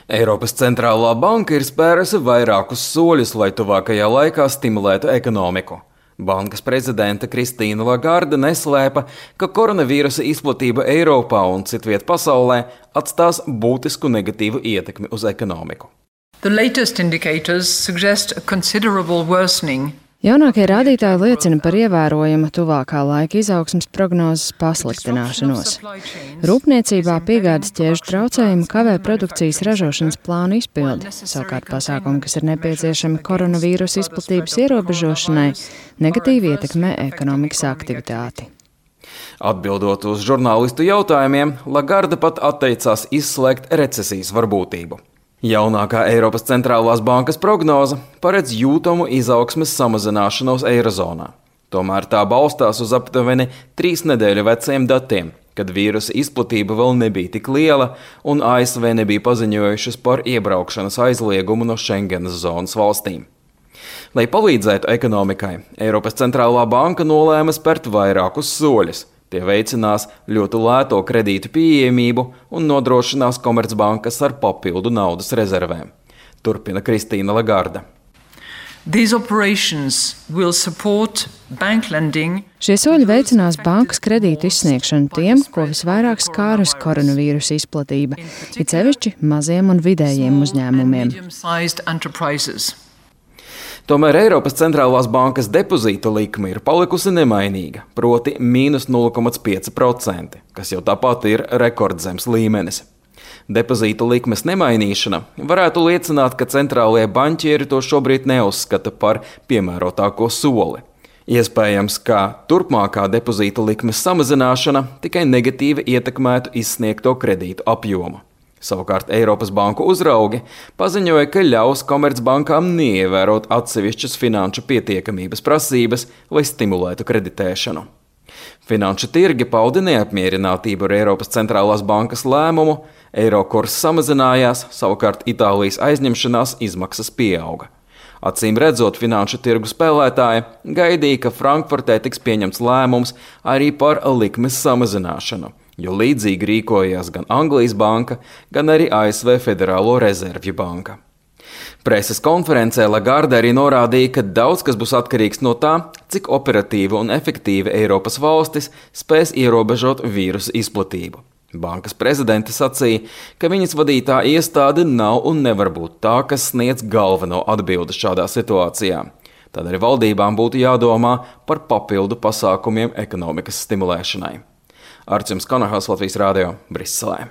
Eiropas centrālā banka ir spērusi vairākus soļus, lai tuvākajā laikā stimulētu ekonomiku. Bankas prezidente Kristīna Lagarde neslēpa, ka koronavīrusa izplatība Eiropā un citviet pasaulē atstās būtisku negatīvu ietekmi uz ekonomiku. The latest indicators suggest a considerable worsening. Jaunākie rādītāji liecina par ievērojamu tuvākā laika izaugsmes prognozes pasliktināšanos. Rūpniecībā piegādes ķēžu traucējumi kavē produkcijas ražošanas plānu izpildi. Savukārt pasākumi, kas ir nepieciešami koronavīrusa izplatības ierobežošanai, negatīvi ietekmē ekonomikas aktivitāti. Atbildot uz žurnālistu jautājumiem, Lagarde pat atteicās izslēgt recesijas varbūtību. Jaunākā Eiropas centrālās bankas prognoze paredz jūtamu izaugsmes samazināšanos eirozonā. Tomēr tā balstās uz aptuveni 3 nedēļu veciem datiem, kad vīrusa izplatība vēl nebija tik liela un ASV nebija paziņojušas par iebraukšanas aizliegumu no Schengenas zonas valstīm. Lai palīdzētu ekonomikai, Eiropas centrālā banka nolēma spērt vairākus soļus. Tie veicinās ļoti lēto kredītu pieejamību un nodrošinās komercbankas ar papildu naudas rezervēm. Turpina Kristīna Lagarde. Šie soļi veicinās bankas kredītu izsniegšanu tiem, ko visvairāk skārus koronavīrusa izplatība, it sevišķi maziem un vidējiem uzņēmumiem. Tomēr Eiropas centrālās bankas depozīta likme ir palikusi nemainīga, proti mīnus 0,5%, kas jau tāpat ir rekordzems līmenis. Depozīta likmes nemainīšana varētu liecināt, ka centrālie banķieri to šobrīd neuzskata par piemērotāko soli. Iespējams, ka turpmākā depozīta likmes samazināšana tikai negatīvi ietekmētu izsniegto kredītu apjomu. Savukārt Eiropas banku uzraugi paziņoja, ka ļaus komercbankām neievērot atsevišķas finanšu pietiekamības prasības, lai stimulētu kreditēšanu. Finanšu tirgi pauda neapmierinātību ar Eiropas centrālās bankas lēmumu, eiro kurs samazinājās, savukārt Itālijas aizņemšanās izmaksas pieauga. Acīm redzot, finanšu tirgu spēlētāji gaidīja, ka Frankfurtē tiks pieņemts lēmums arī par likmes samazināšanu, jo līdzīgi rīkojās gan Anglijas banka, gan arī ASV Federālo rezervju banka. Preses konferencē Lagarde arī norādīja, ka daudz kas būs atkarīgs no tā, cik operatīvi un efektīvi Eiropas valstis spēs ierobežot vīrusa izplatību. Bankas prezidente sacīja, ka viņas vadītā iestāde nav un nevar būt tā, kas sniedz galveno atbildi šādā situācijā. Tādēļ valdībām būtu jādomā par papildu pasākumiem ekonomikas stimulēšanai. Arčuns Kanahals, Latvijas Rādio, Briselē.